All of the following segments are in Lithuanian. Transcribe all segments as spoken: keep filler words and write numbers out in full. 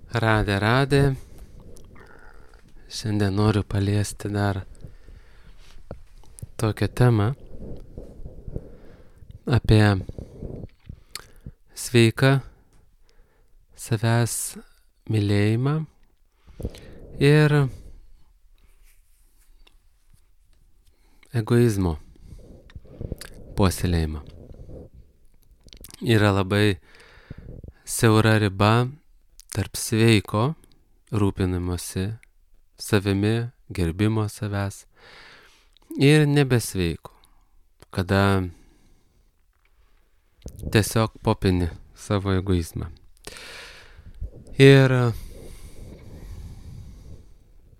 Radė, radė. Šiandien noriu paliesti dar tokią temą apie sveiką savęs mylėjimą ir egoizmo puoselėjimą. Yra labai siaura riba tarp sveiko rūpinimosi savimi, gerbimo savęs ir nebesveiko, kada tiesiog popini savo egoizmą. Ir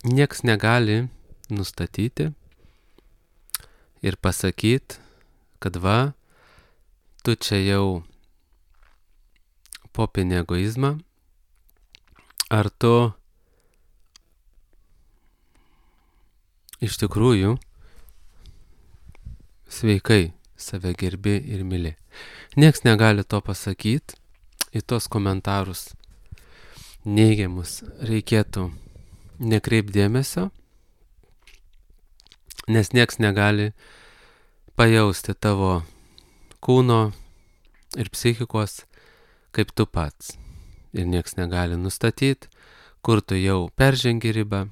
nieks negali nustatyti ir pasakyti, kad va, tu čia jau popini egoizmą, ar tu iš tikrųjų sveikai save gerbi ir myli. Nieks negali to pasakyti, į tos komentarus neigiamus reikėtų nekreipti dėmesio, nes nieks negali pajausti tavo kūno ir psichikos kaip tu pats. Ir nieks negali nustatyti, kur tu jau peržengi ribą,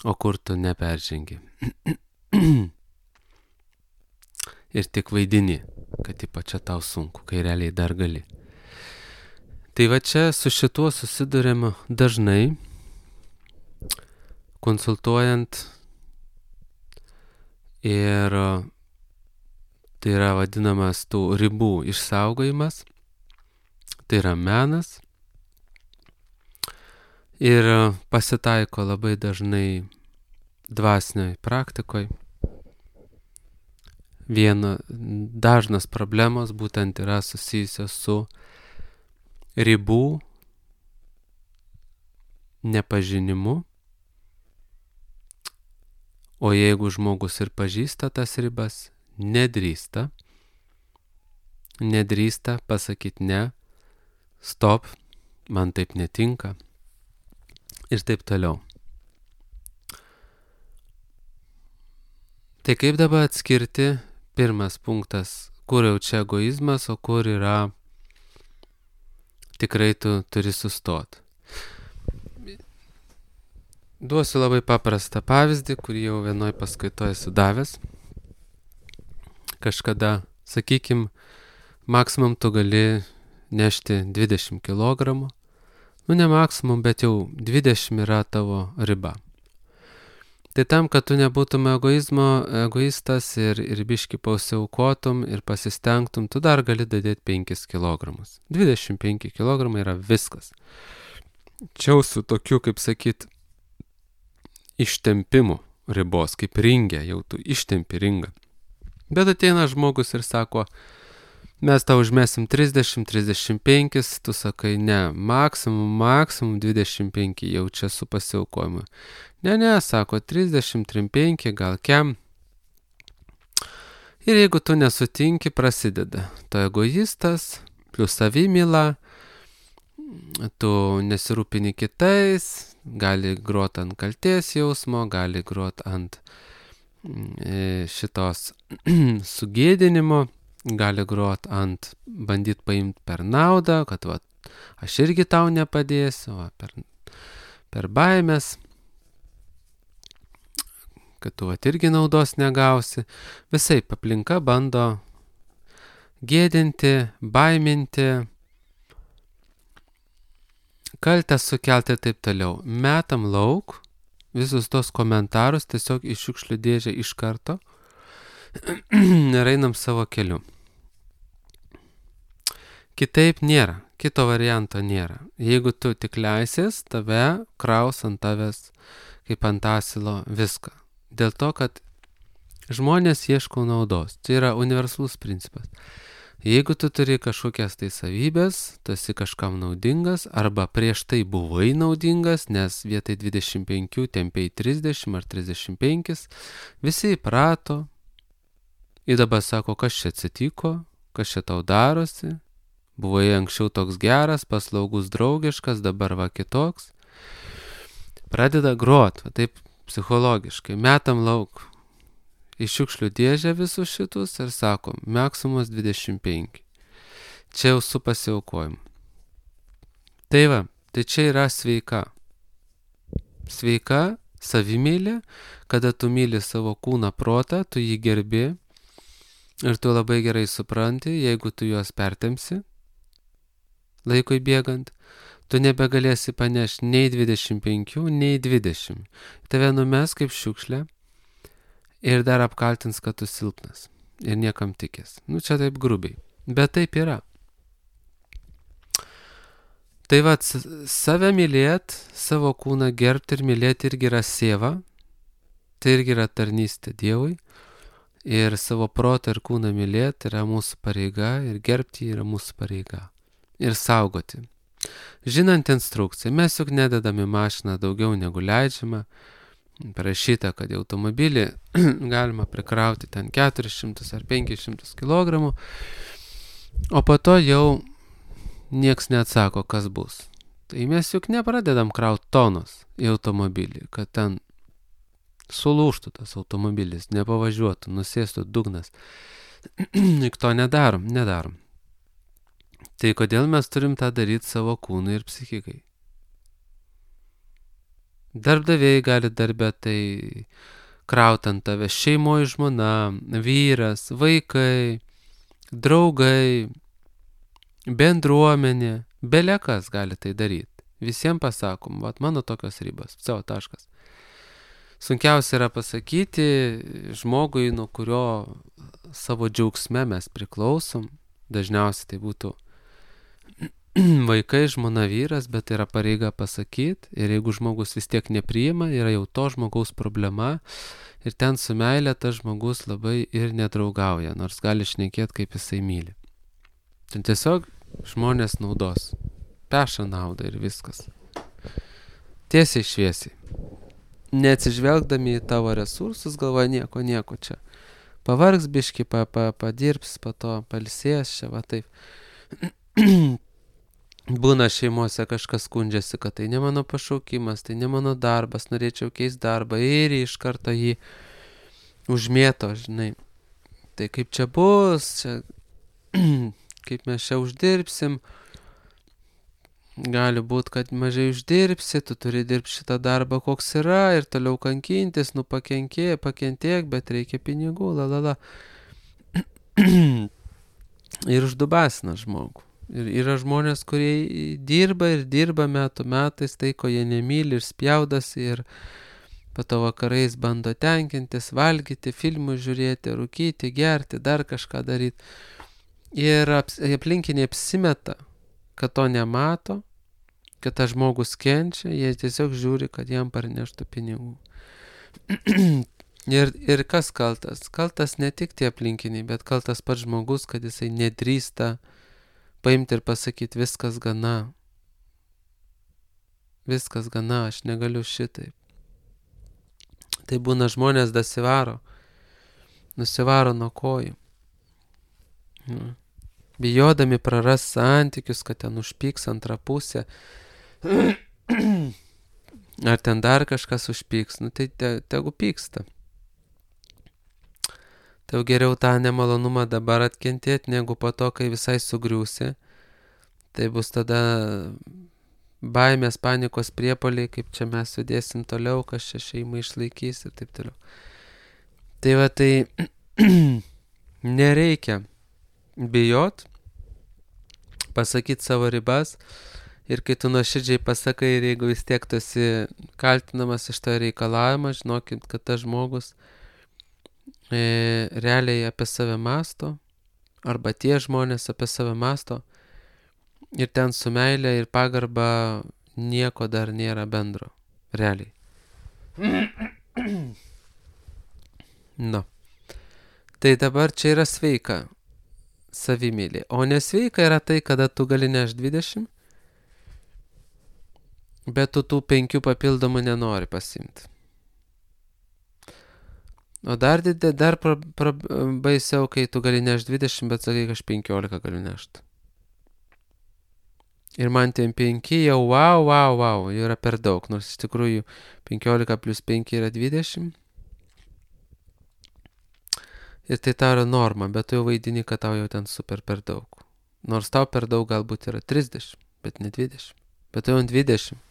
o kur tu neperžengi. Ir tik vaidini, kad ypač čia tau sunku, kai realiai dar gali. Tai va čia su šituo susidurėm dažnai, konsultuojant, ir tai yra vadinamas tų ribų išsaugojimas, tai yra menas. Ir pasitaiko labai dažnai dvasinioj praktikoj. Viena dažnas problemos būtent yra susijusios su ribų nepažinimu. O jeigu žmogus ir pažįsta tas ribas, nedrįsta, nedrįsta pasakyti ne, stop, man taip netinka. Ir taip toliau. Tai kaip dabar atskirti, pirmas punktas, kur jau čia egoizmas, o kur yra tikrai tu turi sustoti. Duosiu labai paprastą pavyzdį, kurį jau vienoj paskaitoje esu davęs. Kažkada, sakykim, maksimum tu gali nešti dvidešimt kilogramų. Nu, ne maksimum, bet jau dvidešimt yra tavo riba. Tai tam, kad tu nebūtum egoizmo, egoistas ir, ir biški pasiaukotum ir pasistengtum, tu dar gali dadėti penkis kilogramus. dvidešimt penki kilogramai yra viskas. Čia jau su tokiu, kaip sakyt, ištempimu ribos, kaip ringė, jau tu ištempi ringą. Bet ateina žmogus ir sako, mes tau užmesim trisdešimt trisdešimt penki, tu sakai, ne, maksimum, maksimum dvidešimt penki, jau čia su pasiaukojimu. Ne, ne, sako, trisdešimt penki, gal kem. Ir jeigu tu nesutinki, prasideda. Tu egoistas, plus savimyla, tu nesirūpini kitais, gali grot ant kaltės jausmo, gali grot ant e, šitos sugėdinimo, gali grot ant, bandyt paimt per naudą, kad va, aš irgi tau nepadėsiu, va, per, per baimės, kad tu va, irgi naudos negausi. Visaip aplinka bando gėdinti, baiminti, kaltę sukelti ir taip toliau. Metam lauk visus tos komentarus tiesiog iš šiukšlių dėžę iš karto ir einam savo keliu. Kitaip nėra, kito varianto nėra. Jeigu tu tik leisies, tave kraus ant tavęs kaip ant asilo viską. Dėl to, kad žmonės ieško naudos. Tai yra universalus principas. Jeigu tu turi kažkokias tai savybės, tu esi kažkam naudingas, arba prieš tai buvai naudingas, nes vietoj dvidešimt penki tempiai trisdešimt ar trisdešimt penki, visi įprato. Ir dabar sako, kas čia atsitiko, kas čia tau darosi, Buvai anksčiau toks geras, paslaugus, draugiškas, dabar va kitoks. Pradeda grot, va taip psichologiškai, metam lauk į šiukšlių dėžę visus šitus ir sakom, maksimumas dvidešimt penki. Čia jau su pasiaukojimu. Tai va, tai čia yra sveika. Sveika savimylė, kada tu myli savo kūną, protą, tu jį gerbi ir tu labai gerai supranti, jeigu tu juos pertemsi laikui bėgant, tu nebegalėsi panešti nei dvidešimt penki, nei dvidešimt. Tave numes kaip šiukšlė ir dar apkaltins, kad tu silpnas ir niekam tikės. Nu čia taip grubiai, bet taip yra. Tai va, save mylėt, savo kūną gerbti ir mylėti irgi yra sieva, tai irgi yra tarnystė Dievui. Ir savo protą ir kūną mylėti yra mūsų pareiga ir gerbti yra mūsų pareiga. Ir saugoti. Žinant instrukciją, mes juk nededam į mašiną daugiau negu leidžiama. Parašyta, kad į automobilį galima prikrauti ten keturis šimtus ar penkis šimtus kilogramų, o po to jau nieks neatsako, kas bus. Tai mes juk nepradedam krauti tonos į automobilį, kad ten sulūštų tas automobilis, nepavažiuotų, nusėstų dugnas. Juk to nedarom, nedarom. Tai kodėl mes turim tą daryti savo kūnui ir psichikai? Darbdaviai gali darbę tai krauti ant tave, šeimoje žmona, vyras, vaikai, draugai, bendruomenė, belekas gali tai daryti. Visiems pasakom, vat mano tokios ribos, savo taškas. Sunkiausia yra pasakyti žmogui, nuo kurio savo džiaugsme mes priklausom. Dažniausiai tai būtų vaikai, žmona, vyras, bet tai yra pareiga pasakyti. Ir jeigu žmogus vis tiek nepriima, yra jau to žmogaus problema. Ir ten su meilė tas žmogus labai ir nedraugauja, nors gali šnekėti, kaip jisai myli. Ten tiesiog žmonės naudos. Peša naudą ir viskas. Tiesiai šviesiai. Neatsižvelgdami į tavo resursus, galvoja nieko, nieko čia. Pavargs biški, pa, pa, padirbs, po to palsės čia, va taip. Būna šeimose kažkas skundžiasi, kad tai ne mano pašaukimas, tai ne mano darbas, norėčiau keisti darbą ir iš karto jį užmėto, žinai. Tai kaip čia bus, čia, kaip mes čia uždirbsim, gali būti, kad mažai uždirbsi, tu turi dirbti šitą darbą, koks yra, ir toliau kankintis, nu pakenkė, pakentiek, bet reikia pinigų, la la la. Ir uždubasina žmogų. Ir yra žmonės, kurie dirba ir dirba metų metais, tai ko jie nemyli ir spjaudasi ir po to vakarais bando tenkintis, valgyti, filmus žiūrėti, rūkyti, gerti, dar kažką daryti. Ir aplinkiniai apsimeta, kad to nemato, kad tas žmogus kenčia, jie tiesiog žiūri, kad jam parneštų pinigų. ir, ir kas kaltas? Kaltas ne tik tie aplinkiniai, bet kaltas pats žmogus, kad jisai nedrįsta paimti ir pasakyti, viskas gana. Viskas gana, aš negaliu šitaip. Tai būna žmonės dasivaro, nusivaro nuo kojų. Nu. Bijodami praras santykius, kad ten užpyks antrą pusę. Ar ten dar kažkas užpyks, nu tai te, tegu pyksta. Tai geriau tą nemalonumą dabar atkentėti, negu po to, kai visai sugriūsi. Tai bus tada baimės, panikos priepuoliai, kaip čia mes judėsim toliau, kas čia šeimą išlaikys ir taip toliau. Tai va tai nereikia bijot, pasakyti savo ribas ir kai tu nuoširdžiai pasakai ir jeigu vis tiek tu esi kaltinamas iš to reikalavimą, žinokit, kad tas žmogus e, realiai apie save masto arba tie žmonės apie save masto ir ten su meilė ir pagarba nieko dar nėra bendro, realiai. Nu. Tai dabar čia yra sveika savimylė. O nesveika yra tai, kada tu gali nešti dvidešimt, bet tu tų penkių papildomų nenori pasimti. O dar didė, dar pra, pra, baisiau, kai tu gali nešti dvidešimt, bet sakai, kad aš penkiolika galiu nešti. Ir man ten penki jau wow, wow, wow, yra per daug, nors iš tikrųjų penkiolika plus penki yra dvidešimt. Ir tai tau yra norma, bet tu jau vaidini, kad tau jau ten super per daug. Nors tau per daug galbūt yra trisdešimt, bet ne dvidešimt. Bet tu jau dvidešimt.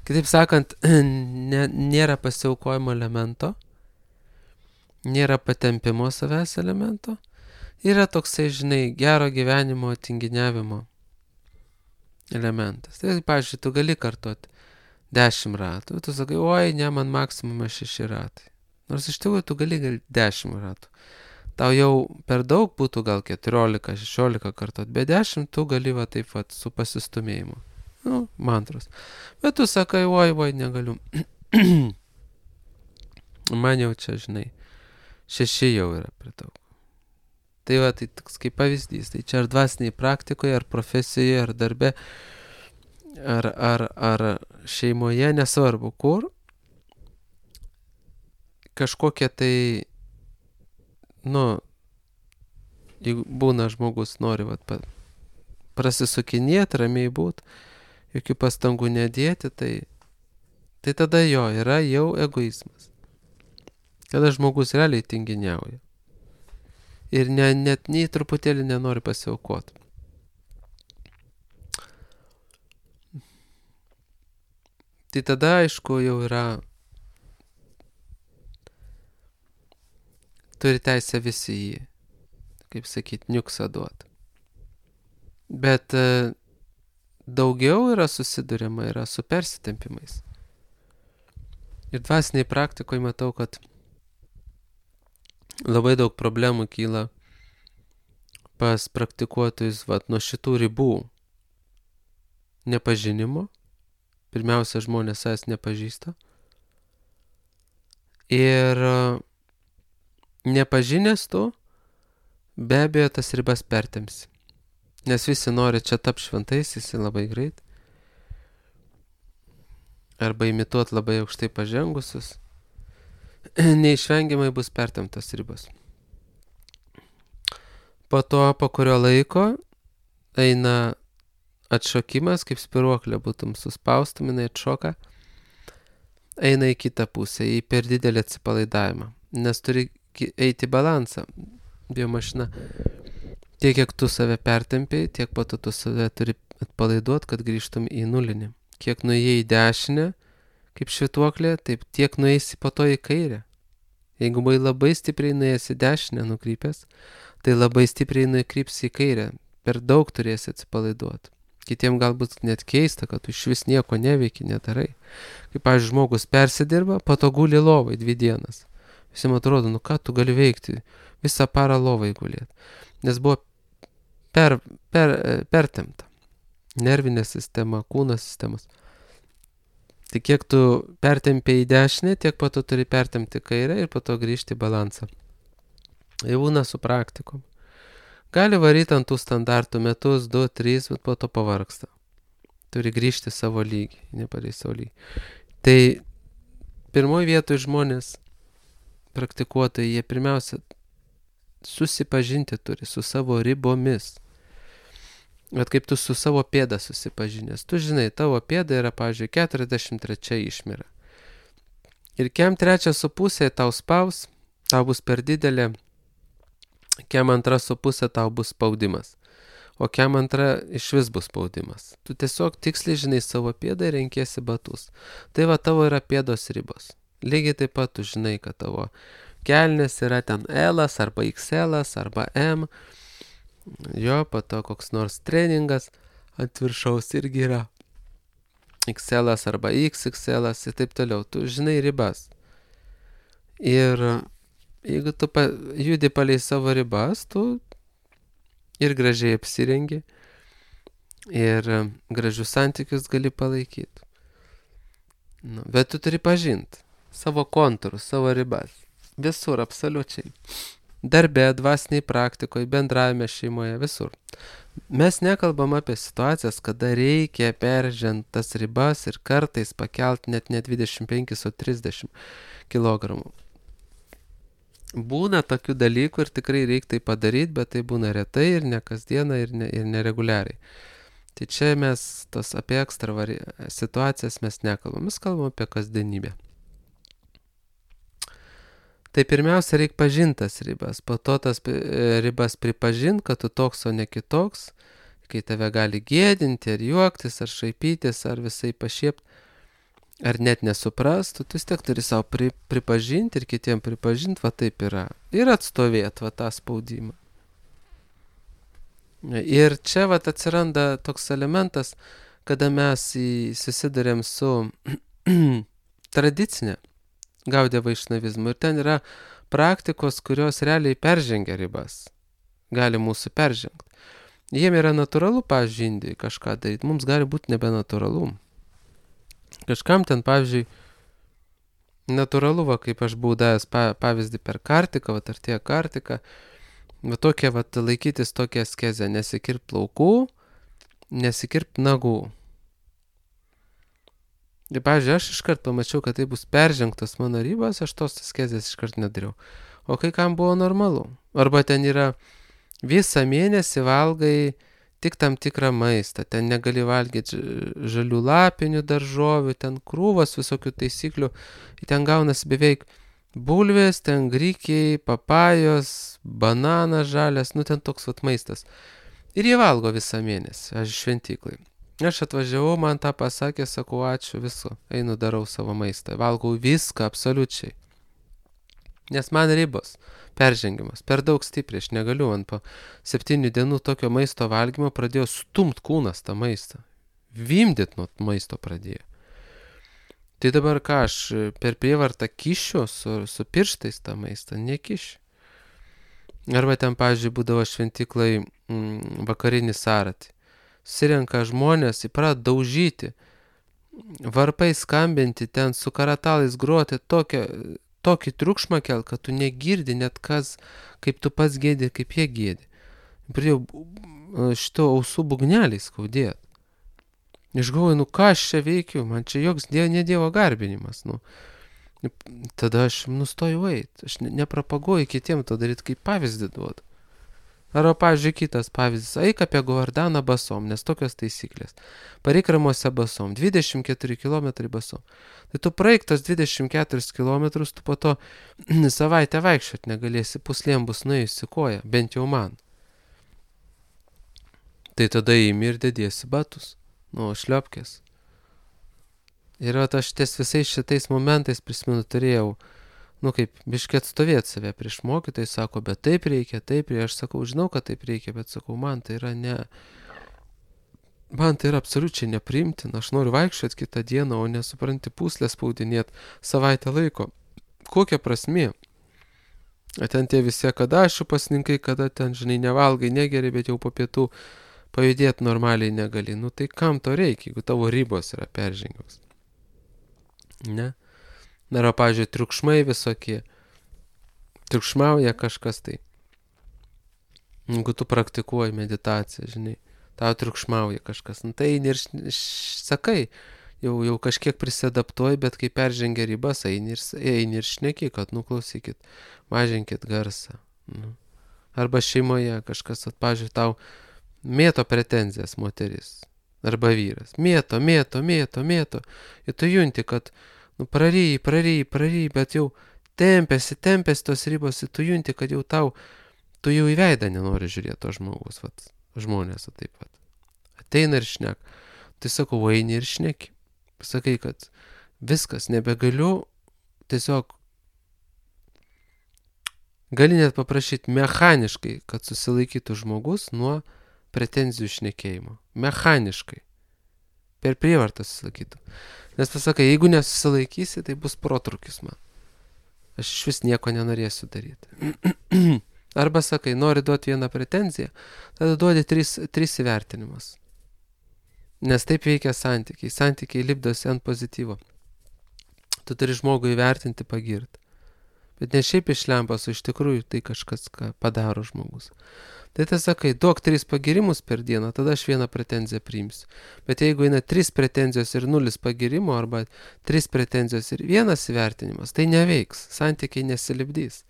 Kitaip sakant, ne, nėra pasiaukojimo elemento, nėra patempimo savęs elemento, yra toksai, žinai, gero gyvenimo tinginiavimo elementas. Tai, pavyzdžiui, tu gali kartuoti dešimt ratų, tu sakai, oi, ne, man maksimumas šeši ratai. Nors iš tikrųjų tu gali gal dešimt ratų. Tau jau per daug būtų gal keturiolika, šešiolika kartot, bet dešimt tu gali va taip va su pasistumėjimu. Nu, mantros. Bet tu sakai, oi, oi, negaliu. Man jau čia, žinai, šeši jau yra per daug. Tai va, tai toks kaip pavyzdys. Tai čia ar dvasiniai praktikoje, ar profesijoje, ar darbe, ar, ar, ar šeimoje, nesvarbu kur, kažkokie tai, nu, jeigu būna žmogus nori vat, pa, prasisukinėti, ramiai būt, jokių pastangų nedėti, tai, tai tada jo yra jau egoizmas. Kada žmogus realiai tinginiauja. Ir ne, net nei truputėlį nenori pasiaukoti. Tai tada, aišku, jau yra, turi teisę visi jį, kaip sakyt, niuksą duoti. Bet e, daugiau yra susiduriama yra su persitempimais. Ir dvasiniai praktikoje matau, kad labai daug problemų kyla pas praktikuotojus vat, nuo šitų ribų nepažinimo. Pirmiausia, žmonės savęs nepažįsta. Ir nepažinęs tu, be abejo, tas ribas pertemsi. Nes visi nori čia tapti šventaisiais labai greit. Arba imituoti labai aukštai pažengusius. Neišvengiamai bus pertemtos ribos. Po to, po kurio laiko, eina atšokimas, kaip spiruoklė būtum suspaustum, jinai atšoka, eina į kitą pusę, į per didelį atsipalaidavimą. Nes turi eiti balansą. Biomašina, tiek kiek tu save pertempiai, tiek po to tu save turi atpalaiduoti, kad grįžtum į nulinį. Kiek nuėjai į dešinę, kaip švytuoklė, taip tiek nueisi po to į kairę. Jeigu buvai labai stipriai nuėjęs į dešinę nukrypęs, tai labai stipriai nukrypsi į kairę. Per daug turėsi atsipalaiduoti. Kitiems galbūt net keista, kad tu iš vis nieko neveiki, nedarai. Kaip, pavyzdžiui, žmogus persidirba, po to guli lovai dvi dienas. Visiems atrodo, nu ką tu gali veikti, visą parą lovai gulėti. Nes buvo per, per, pertempta. Nervinė sistema, kūno sistemas. Tai kiek tu pertempiai į dešinę, tiek po to turi pertempti kairę ir po to grįžti į balansą. Jau būna su praktikom. Gali varyti ant tų standartų metus, du, trys, bet po to pavargsta. Turi grįžti savo lygį, nepadai savo lygį. Tai pirmoji vietoje žmonės praktikuotojai, jie pirmiausia susipažinti turi su savo ribomis. Bet kaip tu su savo pėda susipažinęs. Tu žinai, tavo pėda yra, pavyzdžiui, keturiasdešimt trečia išmira. Ir kem trečia su pusė tau spaus, tau bus per didelė, kem antra su pusė tau bus spaudimas. O kem antra iš vis bus spaudimas. Tu tiesiog tiksliai žinai savo pėdą ir renkiesi batus. Tai va tavo yra pėdos ribos. Lygiai taip pat tu žinai, kad tavo kelnės yra ten L arba X L arba M. Jo, po to koks nors treningas ant viršaus irgi yra X L arba X X L ir taip toliau. Tu žinai ribas. Ir jeigu tu pa, judi palei savo ribas, tu ir gražiai apsirengi, ir gražius santykius gali palaikyti. Nu, bet tu turi pažinti savo kontūrus, savo ribas. Visur, absoliučiai. Darbe, dvasiniai praktikoje, bendravime šeimoje, visur. Mes nekalbam apie situacijas, kada reikia peržengti tas ribas ir kartais pakelti net ne dvidešimt penkis, o trisdešimt kilogramų. Būna tokių dalykų ir tikrai reikia tai padaryti, bet tai būna retai ir ne kasdieną ir, ne, ir nereguliariai. Tai čia mes tos apie ekstra vari... situacijas mes nekalbam, mes kalbam apie kasdienybę. Tai pirmiausia, reikia pažintas ribas, po to tas ribas pripažint, kad tu toks, o ne kitoks, kai tave gali gėdinti, ar juoktis, ar šaipytis, ar visai pašiepti, ar net nesuprastų, tu vis tiek turi savo pri, pripažinti ir kitiem pripažinti, va taip yra. Ir atstovėti va tą spaudimą. Ir čia va atsiranda toks elementas, kada mes susidurėm su tradicinė Gaudija vaišnavizmu. Ir ten yra praktikos, kurios realiai peržengia ribas. Gali mūsų peržengti. Jiem yra natūralu, pavyzdžiui, Indijai kažką daryti. Mums gali būti nebenatūralu. Kažkam ten, pavyzdžiui, natūralu, va, kaip aš buvau davęs pavyzdį per kartiką, va, artėja kartika, va, tokia, va, laikytis tokią askezę, nesikirpt plaukų, nesikirpt nagų. Ir, pavyzdžiui, aš iškart pamačiau, kad tai bus peržengtos mano ribos, aš tos askezės iškart nedariau. O kai kam buvo normalu. Arba ten yra visą mėnesį valgai tik tam tikrą maistą. Ten negali valgyti žalių lapinių daržovių, ten krūvos visokių taisyklių. Ten gaunasi beveik bulvės, ten grikiai, papajos, bananas žalias, nu ten toks vat maistas. Ir jie valgo visą mėnesį, aš šventyklai. Aš atvažiavau, man tą pasakė, sakau, ačiū, viso, einu darau savo maistą. Valgau viską, absoliučiai. Nes man ribos, peržengimas, per daug stipriai, aš negaliu, man po septynių dienų tokio maisto valgymo pradėjo stumt kūnas tą maistą. Vimdyt nuo maisto pradėjo. Tai dabar ką, aš per prievartą kišiu su, su pirštais tą maistą, nekišiu. Arba ten, pavyzdžiui, būdavo šventyklai mm, vakarinį saratį. Susirenka žmonės, įprat daužyti, varpai skambinti, ten su karatalais gruoti, tokią, tokį triukšmą kel, kad tu negirdi net kas, kaip tu pats gėdi, kaip jie gėdi. Pradėjau šito ausų bugneliai skaudėti. Aš galvoju, nu ką aš čia veikiu, man čia joks dievo, ne dievo garbinimas. Nu. Tada aš nustojau eiti, aš nepropaguoju kitiem to daryti, kaip pavyzdį duodu. Arba, pavyzdžiui, kitas pavyzdys, eik apie Govardaną basom, nes tokios taisyklės. Pareik Ramuose basom, dvidešimt keturi kilometrai basom. Tai tu praeik tas dvidešimt keturis kilometrus, tu po to savaitę vaikščiot negalėsi, puslėm bus nuėjusi koja, bent jau man. Tai tada įimi ir dediesi batus, nu, šliopkės. Ir vat aš ties visais šitais momentais prisimenu turėjau, nu kaip biškį atstovėti save prieš mokytojai, sako, bet taip reikia, taip reikia, aš sakau, žinau, kad taip reikia, bet sakau, man tai yra ne, man tai yra absoliučiai nepriimtina, aš noriu vaikščioti kitą dieną, o nesupranti puslę spaudinėti savaitę laiko. Kokia prasmė? O ten tie visi kadašių pasninkai, kada ten, žinai, nevalgai, negeri, bet jau po pietų pajudėti normaliai negali. Nu tai kam to reikia, jeigu tavo ribos yra peržengiamas? Ne? Nėra, pavyzdžiui, triukšmai visokie. Triukšmauja kažkas tai. Jeigu tu praktikuoji meditaciją, žinai, tau triukšmauja kažkas. Nu, tai eini ir sakai, jau, jau kažkiek prisidaptuoji, bet kai peržengia ribas, eini ir, eini ir šneki, kad, nu, klausykit, mažinkit garsą. Nu. Arba šeimoje kažkas, at, pavyzdžiui, tau mėto pretenzijas moteris. Arba vyras. Mėto, mėto, mėto, mėto. Ir tu junti, kad nu, praryji, praryji, praryji, bet jau tempėsi, tempėsi tos ribos, ir tu junti, kad jau tau, tu jau į veidą nenori žiūrėti to žmogus, vat, žmonės, o taip pat. Ateina ir šnek. Tai sakau, eini ir šneki. Sakai, kad viskas, nebegaliu, tiesiog gali net paprašyti mechaniškai, kad susilaikytų žmogus nuo pretenzijų šnekėjimo. Mechaniškai. Per prievartą susilaikytų. Nes pasakai, jeigu nesusilaikysi, tai bus protrūkis man. Aš iš vis nieko nenorėsiu daryti. Arba sakai, nori duoti vieną pretenziją, tada duodi tris, tris įvertinimus. Nes taip veikia santykiai. Santykiai lipdosi ant pozityvo. Tu turi žmogų įvertinti, pagirti. Bet ne šiaip iš lempos, o iš tikrųjų tai kažkas, ką padaro žmogus. Tai tai sakai, duok tris pagirimus per dieną, tada aš vieną pretenziją priimsiu. Bet jeigu eina tris pretenzijos ir nulis pagirimo, arba tris pretenzijos ir vienas įvertinimas, tai neveiks, santykiai nesilipdys.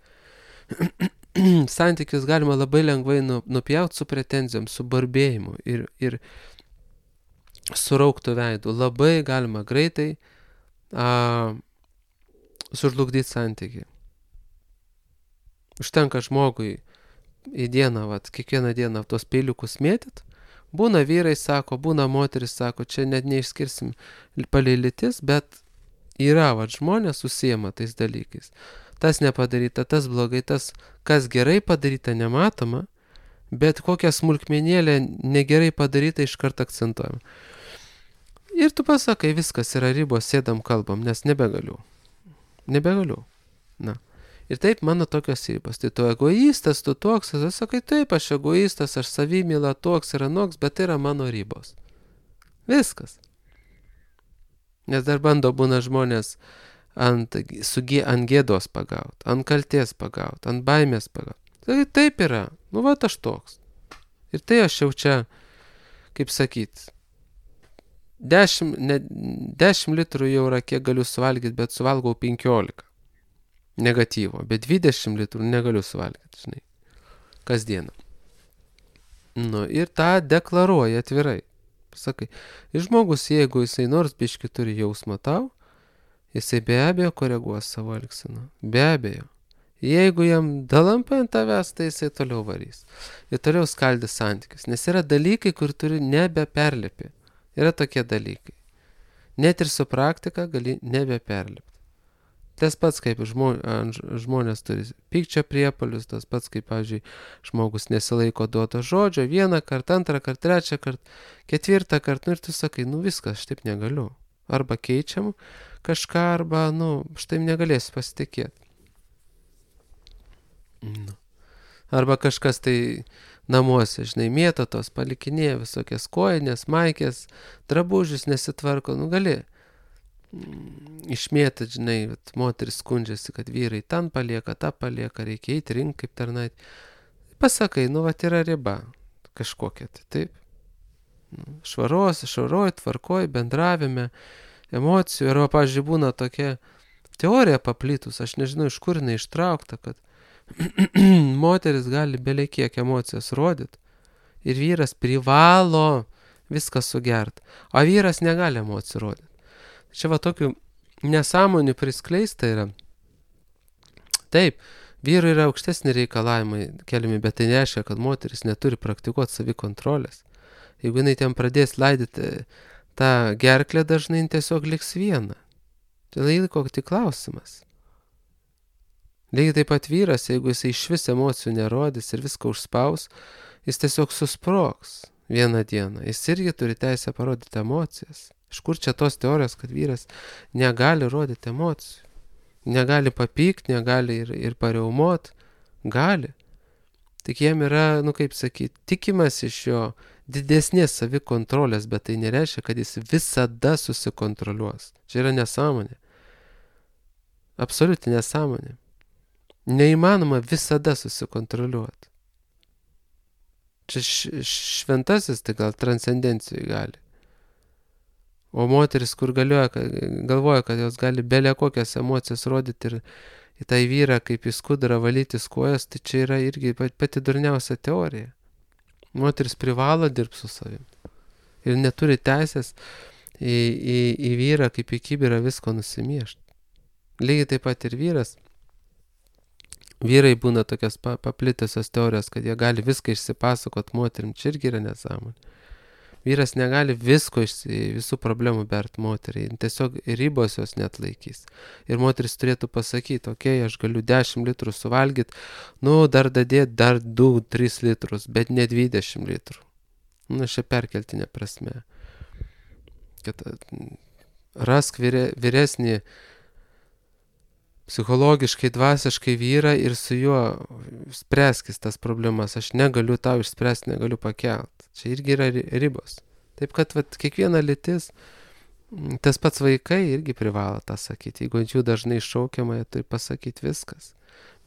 Santykius galima labai lengvai nu, nupjauti su pretenzijom, su barbėjimu ir, ir, surauktų veidų. Labai galima greitai a, sužlugdyti santykiai. Užtenka žmogui į dieną, vat, kiekvieną dieną tos peiliukus mėtyt. Būna vyrai, sako, būna moteris, sako, čia net neišskirsim palei lytis, bet yra, vat, žmonės užsiema tais dalykais. Tas nepadaryta, tas blogai, tas, kas gerai padaryta, nematoma, bet kokią smulkmenėlę negerai padaryta iškart akcentuojama. Ir tu pasakai, viskas yra ribos, sėdam, kalbam, nes nebegaliu. Nebegaliu. Na. Ir taip mano tokios ribos. Tai tu egoistas, tu toks, tu sakai, taip, aš egoistas, aš savimyla toks ir anoks, bet tai yra mano ribos. Viskas. Nes dar bando būna žmonės ant, su, ant gėdos pagaut, ant kalties pagaut, ant baimės pagaut. Tai taip yra. Nu, va, aš toks. Ir tai aš jau čia, kaip sakyt, dešimt, ne, dešimt litrų jau yra, kiek galiu suvalgyti, bet suvalgau penkiolika. Negatyvo, bet dvidešimt litrų negaliu suvalgyti, žinai, kasdieną. Nu, ir tą deklaruoja atvirai. Sakai, ir žmogus, jeigu jisai nors biškį turi jausmą tau, jisai be abejo koreguos savo elgseną. Be abejo. Jeigu jam dalampai ant tavęs, tai jisai toliau varys. Ir toliau skaldys santykius. Nes yra dalykai, kur turi nebeperlipi. Yra tokie dalykai. Net ir su praktika gali nebeperlipti. Tas pats, kaip žmonės turi pykčio priepuolius, tas pats, kaip, pavyzdžiui, žmogus nesilaiko duoto žodžio, vieną kartą, antrą kartą, trečią kartą, ketvirtą kartą, nu ir tu sakai, nu viskas, aš taip negaliu. Arba keičiam kažką, arba, nu, štai negalėsiu pasitikėti. Nu. Arba kažkas tai namuose, žinai, mėto tos, palikinėja visokias kojinės, maikės, drabužius nesitvarko, nu gali. Išmėtą, žinai, moteris skundžiasi, kad vyrai ten palieka, tą palieka, reikia eiti rink kaip tarnait. Pasakai, nu, vat yra riba kažkokia, tai taip. Švaros, švaroj, tvarkoj, bendravime, emocijų. Arba, pavyzdžiui, būna tokia teorija paplitus, aš nežinau, iš kur jinai ištraukta, kad moteris gali belekiek emocijas rodyti ir vyras privalo viską sugert, o vyras negali emocijų rodyti. Čia va tokių nesąmonių priskleista yra. Taip, vyrui yra aukštesni reikalavimai keliami, bet tai nereiškia, kad moteris neturi praktikuoti savikontrolės. Jeigu jinai ten pradės laidyti tą gerklę, dažnai tiesiog liks viena. Tai laiko tik klausimas. Lygiai taip pat vyras, jeigu jis iš vis emocijų nerodys ir viską užspaus, jis tiesiog susprogs vieną dieną. Jis irgi turi teisę parodyti emocijas. Iš kur čia tos teorijos, kad vyras negali rodyti emocijų? Negali papykti, negali ir, ir pareumot? Gali. Tik jam yra, nu kaip sakyti, tikimas iš jo didesnės savikontrolės, bet tai nereiškia, kad jis visada susikontroliuos. Čia yra nesąmonė. Absoliuti nesąmonė. Neįmanoma visada susikontroliuoti. Čia šventasis, tai gal transcendencijai gali. O moteris, kur galioja, galvoja, kad jos gali belė kokias emocijas rodyti ir į tą vyrą kaip į skudurą valytis kojas, tai čia yra irgi pati durniausia teorija. Moteris privalo dirbti su savim. Ir neturi teisės į, į, į vyrą kaip į kibirą visko nusimiešti. Lygiai taip pat ir vyras. Vyrai būna tokios paplitusios teorijos, kad jie gali viską išsipasakot moterim. Čia irgi yra nesąmonė. Vyras negali visko, visų problemų bert moteriai, tiesiog ribos jos net laikys. Ir moteris turėtų pasakyti, okei, okay, aš galiu dešimt litrų suvalgyti, nu, dar dadėti dar du tris litrus, bet ne dvidešimt litrų. Nu, šia perkeltinė prasme. Kad rask vyre, vyresnį psichologiškai, dvasiškai vyrą ir su juo spręskis tas problemas. Aš negaliu tau išspręsti, negaliu pakelt. Čia irgi yra ribos. Taip kad vat, kiekviena lytis, tas pats vaikai irgi privalo tą sakyti. Jeigu ant jų dažnai šaukiama, jie turi pasakyti viskas.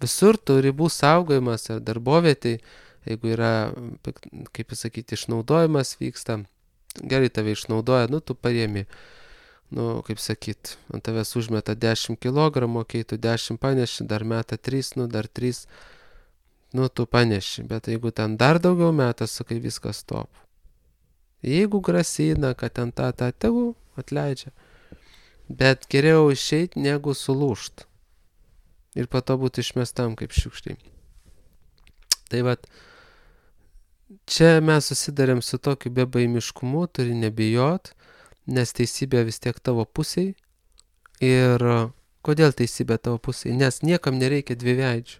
Visur tų ribų saugojimas ar darbovietėj, jeigu yra, kaip pasakyti, išnaudojimas vyksta, gerai tave išnaudoja, nu tu paėmi, nu kaip sakyt, ant tavęs užmeta dešimt kilogramų, kai tu dešimt paneši, dar meta trys, nu dar trys, nu tu paneši, bet jeigu ten dar daugiau metas, sakai, viskas stop. Jeigu grasina, kad ten tą, tą, tegu atleidžia. Bet geriau išeit negu sulūžt. Ir po to būti išmestam kaip šiukšliai. Tai vat, čia mes susidarėm su tokiu bebaimiškumu, turi nebijot, nes teisybė vis tiek tavo pusiai. Ir kodėl teisybė tavo pusiai? Nes niekam nereikia dviveidžių.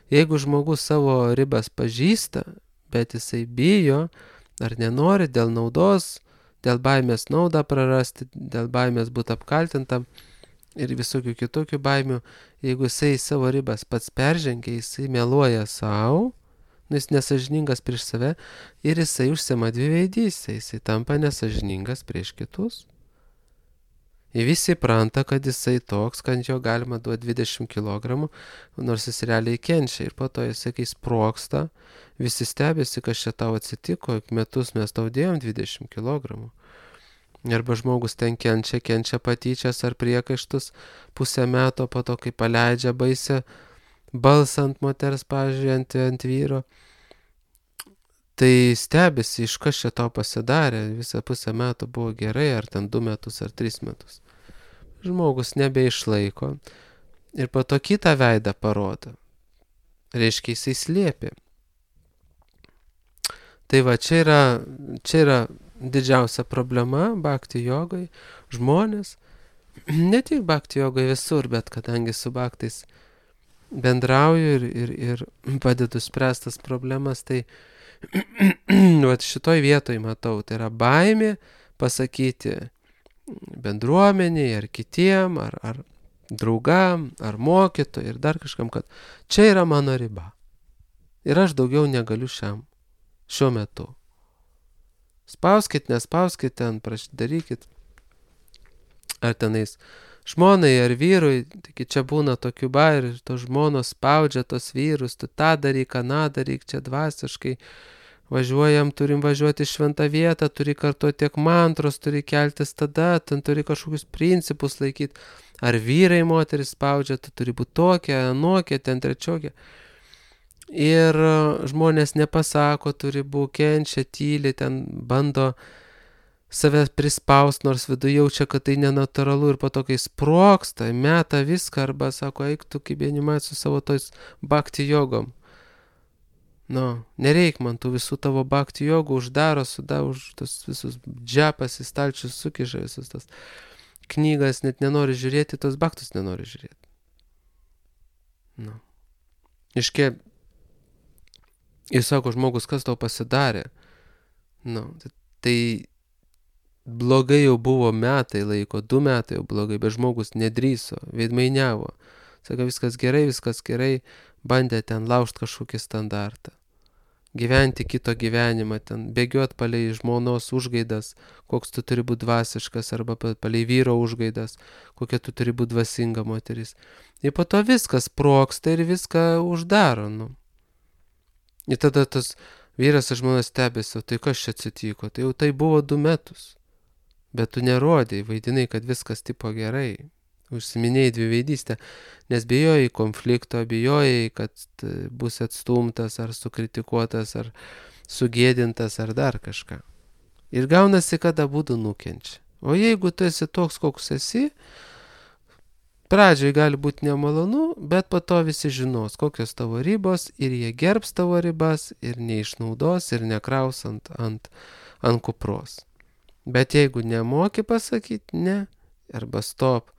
Jeigu žmogus savo ribas pažįsta, bet jisai bijo ar nenori dėl naudos, dėl baimės naudą prarasti, dėl baimės būti apkaltintam ir visokių kitokių baimių, jeigu jisai savo ribas pats peržengia, jisai meluoja savo, jis nesažiningas prieš save ir jisai užsima dviveidystę, jisai tampa nesažiningas prieš kitus. Ir visi pranta, kad jisai toks, kad jo galima duoti dvidešimt kilogramų, nors jis realiai kenčia. Ir po to jisai, kai sproksta, visi stebėsi, kas čia tau atsitiko, metus mes tau dėjom dvidešimt kilogramų. Arba žmogus ten kenčia, kenčia patyčias ar priekaištus pusę metų, po to, kai paleidžia baisę balsą ant moters, pavyzdžiui, ant, ant vyro. Tai stebėsi, iš kas čia tau pasidarė, visą pusę metų buvo gerai, ar ten du metus, ar tris metus. Žmogus nebeišlaiko ir po to kitą veidą parodo. Reiškia, jisai slėpė. Tai va, čia yra, čia yra didžiausia problema bhakti jogai. Žmonės, ne tik bhakti jogai visur, bet kadangi su bhaktais bendrauju ir, ir, ir padedu spręstas problemas, tai vat šitoj vietoj matau, tai yra baimė pasakyti bendruomeniai ar kitiem, ar, ar draugam, ar mokytojai, ir dar kažkam, kad čia yra mano riba. Ir aš daugiau negaliu šiam, šiuo metu. Spauskit, nespauskit ten, darykit. Ar tenais žmonai ar vyrui, taigi čia būna tokių bairių, ir tos žmonos spaudžia tos vyrus, tu tą daryk, aną daryk, čia dvasiškai važiuojam, turim važiuoti į šventą vietą, turi kartuoti tiek mantros, turi keltis tada, ten turi kažkokius principus laikyti. Ar vyrai moteris spaudžia, tu turi būti tokia, anokia, ten trečiokia. Ir žmonės nepasako, turi būti, kenčia, tyli, ten bando save prispaust, nors viduje jaučia, kad tai nenatūralu, ir po to, kai sproksta, meta viską, arba sako, eik tu kaip animat su savo tojus bhakti jogom. Nu, nereik man tų visų tavo bhakti jogų, uždaro, suda, už tos visus džepas į stalčius sukiža, visus tas knygas, net nenori žiūrėti, tos bhaktus nenori žiūrėti. Nu. Iškia, ir sako žmogus, kas tau pasidarė. Nu, tai blogai jau buvo metai laiko, du metai jau blogai, bet žmogus nedrįso, veidmainiavo. Sako, viskas gerai, viskas gerai, bandė ten laužt kažkokį standartą. Gyventi kito gyvenimą, ten bėgiot palei žmonos užgaidas, koks tu turi būti dvasiškas, arba palei vyro užgaidas, kokia tu turi būti dvasinga moteris. Ir po to viskas sproksta ir viską uždaro. Nu. Ir tada tas vyras ir žmona stebėsi, tai kas čia atsitiko, tai jau tai buvo du metus. Bet tu nerodai, vaidinai, kad viskas tipo gerai. Užsiminėjai dviveidystę, nes bijojai konflikto, bijojai, kad bus atstumtas, ar sukritikuotas, ar sugėdintas, ar dar kažką. Ir gaunasi, kad abudu nukenčia. O jeigu tu esi toks, koks esi, pradžioj gali būti nemalonu, bet po to visi žinos, kokios tavo ribos, ir jie gerbs tavo ribas, ir neišnaudos, ir nekraus ant, ant, ant kupros. Bet jeigu nemoki pasakyti ne, arba stop,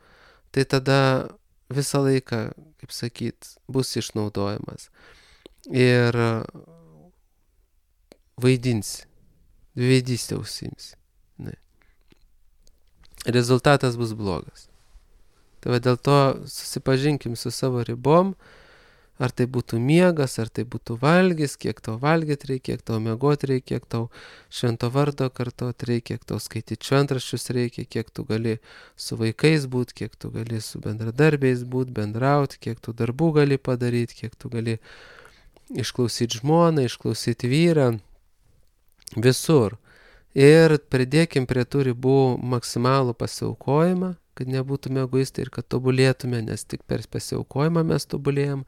tai tada visą laiką, kaip sakyt, bus išnaudojamas. Ir vaidinsi, dviveidystę užsiimsi. Ne. Rezultatas bus blogas. Tai va dėl to susipažinkim su savo ribom, ar tai būtų miegas, ar tai būtų valgys, kiek tau valgyti reikia, kiek tau miegoti reikia, kiek tau švento vardo kartoti reikia, kiek tau skaityti šventraščius reikia, kiek tu gali su vaikais būti, kiek tu gali su bendradarbiais būti, bendrauti, kiek tu darbų gali padaryti, kiek tu gali išklausyti žmoną, išklausyti vyrą, visur. Ir pridėkim prie tų ribų maksimalų pasiaukojimą, kad nebūtume egoistai ir kad tobulėtume, nes tik per pasiaukojimą mes tobulėjam.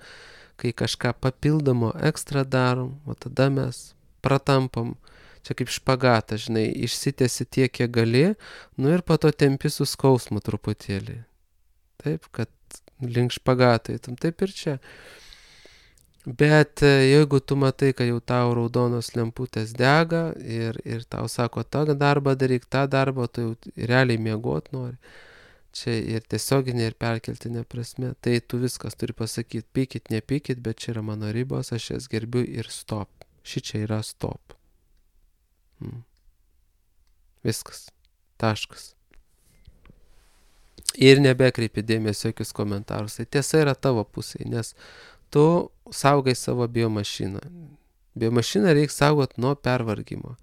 Kai kažką papildomo ekstra darom, o tada mes pratampam čia kaip špagatą, žinai, išsitėsi tiek, kiek gali, nu ir po to tempi su skausmu truputėlį. Taip, kad link špagato eitum, taip ir čia. Bet jeigu tu matai, kad jau tau raudonos lemputės dega ir, ir tau sako, tą darbą daryk, tą darbą, tu jau realiai miegot nori, čia ir tiesioginė, ir perkeltinė prasme, tai tu viskas turi pasakyti, pykit, nepykit, bet čia yra mano ribos, aš jas gerbiu ir stop. Ši čia yra stop. Hmm. Viskas. Taškas. Ir nebekreipi dėmesio jokius komentarus. Tai tiesa yra tavo pusėje, nes tu saugai savo biomašiną. Biomašiną reikia saugot nuo pervargimo,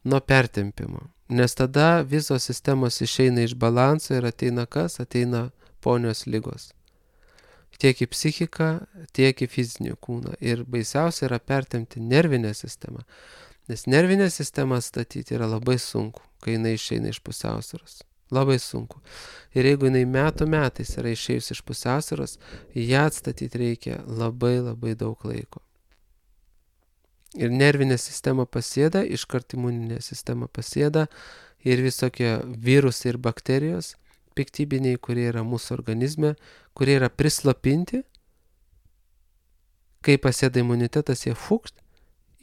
nuo pertempimo. Nes tada visos sistemos išeina iš balanso ir ateina kas? Ateina ponios ligos. Tiek į psichiką, tiek į fizinį kūną. Ir baisiausia yra pertempti nervinę sistemą. Nes nervinę sistemą statyti yra labai sunku, kai jinai išeina iš pusiausvyros. Labai sunku. Ir jeigu jinai metų metais yra išėjus iš pusiausvyros, ją atstatyti reikia labai labai daug laiko. Ir nervinė sistema pasėda, iškart imuninė sistema pasėda ir visokie virusai ir bakterijos piktybiniai, kurie yra mūsų organizme, kurie yra prislopinti, kai pasėda imunitetas, jie fukšt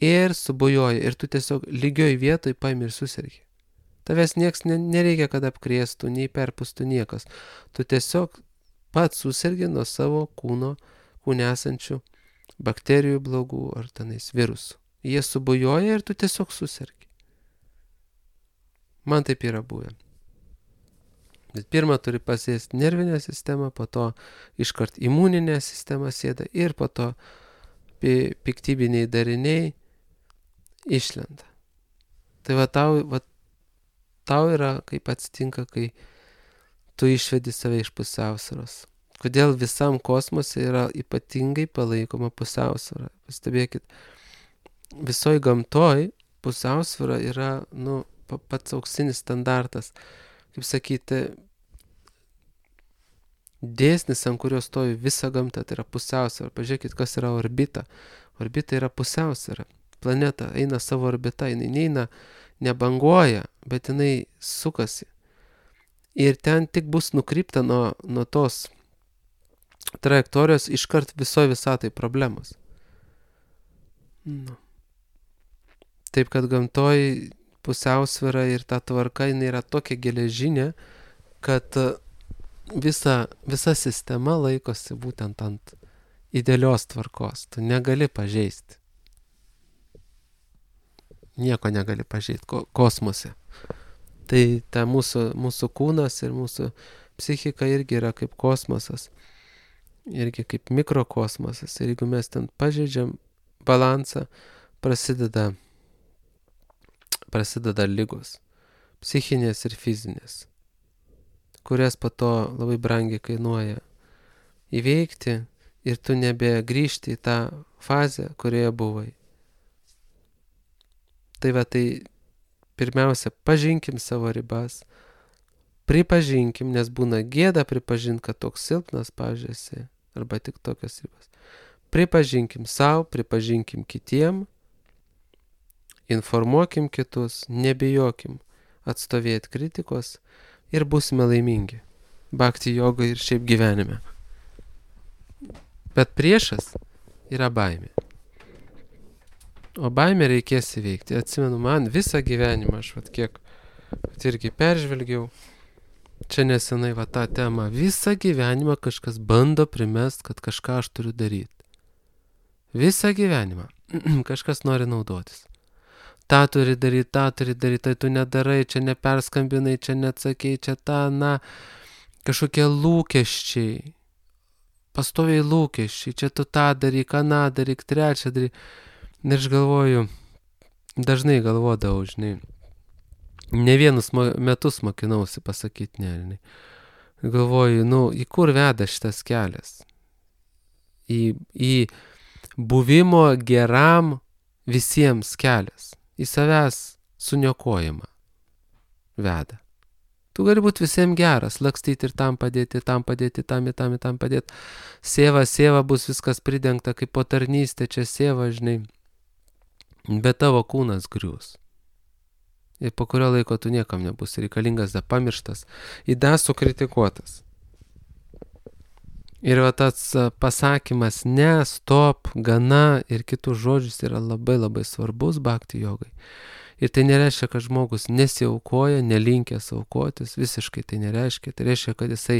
ir subujoja ir tu tiesiog lygioj vietoj paimi ir susergi. Tavęs nieks nereikia, kad apkrėstų, nei perpustų niekas. Tu tiesiog pats susergi nuo savo kūno, kūne esančių bakterijų blogų ar tenais virusų. Jie subujoja ir tu tiesiog susergi. Man taip yra buvę. Bet pirmą turi pasėsti nervinę sistemą, po to iškart imuninė sistema sėda ir po to piktybiniai dariniai išlenda. Tai va tau, va, tau yra, kaip atsitinka, kai tu išvedi save iš pusiausvyros. Kodėl visam kosmose yra ypatingai palaikoma pusiausvyra. Pastebėkit, visoj gamtoj pusiausvyra yra, nu, pats auksinis standartas. Kaip sakyti, dėsnis, ant kurio stovi visa gamta, tai yra pusiausvyra. Pažiūrėkit, kas yra orbita. Orbita yra pusiausvyra. Planeta eina savo orbita, jinai neina, nebanguoja, bet jinai sukasi. Ir ten tik bus nukrypta nuo, nuo tos trajektorijos iškart visoje visatai problemos. Nu. Taip, kad gamtoj pusiausvyra ir ta tvarka, jinai yra tokia geležinė, kad visa, visa sistema laikosi būtent ant idealios tvarkos. Tu negali pažeisti. Nieko negali pažeisti ko, kosmose. Tai ta mūsų, mūsų kūnas ir mūsų psichika irgi yra kaip kosmosas. Irgi kaip mikrokosmosas. Ir jeigu mes ten pažeidžiam balansą, prasideda prasideda ligos, psichinės ir fizinės, kurias po to labai brangiai kainuoja įveikti ir tu nebegrįžti į tą fazę, kurioje buvai. Tai va, tai pirmiausia, pažinkim savo ribas, pripažinkim, nes būna gėda pripažinti, kad toks silpnas, pažiūrėsi, arba tik tokios ribas. Pripažinkim savo, pripažinkim kitiem, informuokim kitus, nebijokim atstovėti kritikos ir būsime laimingi. Bhakti jogai ir šiaip gyvenime. Bet priešas yra baimė. O baimę reikės įveikti. Atsimenu, man visą gyvenimą, aš vat kiek vat irgi peržvelgiau, čia nesenai va tą temą, visą gyvenimą kažkas bando primest, kad kažką aš turiu daryti. Visą gyvenimą kažkas nori naudotis. Ta turi daryti, tą turi daryti, tai tu nedarai, čia neperskambinai, čia neatsakei, čia ta, na, kažkokie lūkesčiai, pastoviai lūkesčiai, čia tu tą daryk, aną daryk, trečią daryk. Ir aš galvoju, dažnai galvodavau, žinai, ne vienus metus mokinausi pasakyti ne, žinai. Galvoju, nu, į kur veda šitas kelias? Į, į buvimo geram visiems kelias. Į savęs suniokojimą veda. Tu gali būti visiems geras, lakstyti ir tam padėti, tam padėti, tam ir tam ir tam padėti. Sėva, sėva bus viskas pridengta, kaip po tarnystė čia sėva, žinai. Bet tavo kūnas grius. Ir po kurio laiko tu niekam nebus reikalingas, da pamirštas, įda sukritikuotas. Ir va tas pasakymas ne, stop, gana ir kitus žodžius yra labai labai svarbus bhakti jogai. Ir tai nereiškia, kad žmogus nesiaukoja, nelinkęs aukotis, visiškai tai nereiškia. Tai reiškia, kad jisai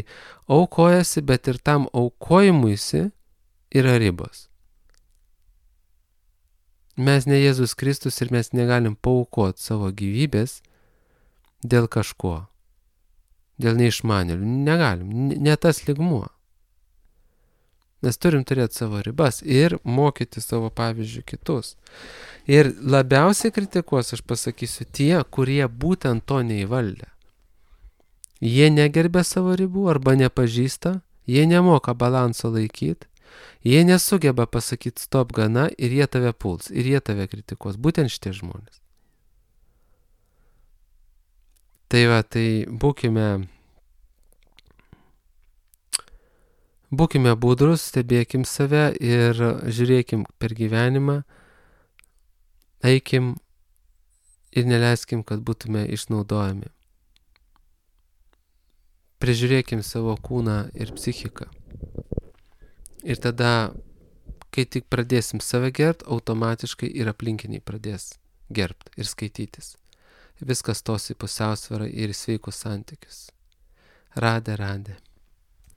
aukojasi, bet ir tam aukojimuisi yra ribos. Mes ne Jėzus Kristus ir mes negalim paaukoti savo gyvybės dėl kažko, dėl neišmanėlių. Negalim, ne tas lygmuo. Mes turim turėti savo ribas ir mokyti savo pavyzdžių kitus. Ir labiausiai kritikuos, aš pasakysiu, tie, kurie būtent to neįvaldė. Jie negerbė savo ribų arba nepažįsta, jie nemoka balanso laikyti, jie nesugeba pasakyti stop gana ir jie tave puls, ir jie tave kritikuos. Būtent šitie žmonės. Tai va, tai būkime... Būkime budrus, stebėkim save ir žiūrėkim per gyvenimą, eikim ir neleiskim, kad būtume išnaudojami. Prižiūrėkim savo kūną ir psichiką. Ir tada, kai tik pradėsim save gerbt, automatiškai ir aplinkiniai pradės gerbt ir skaitytis. Viskas tos į pusiausvyrą ir į sveikus santykius. Radė, radė.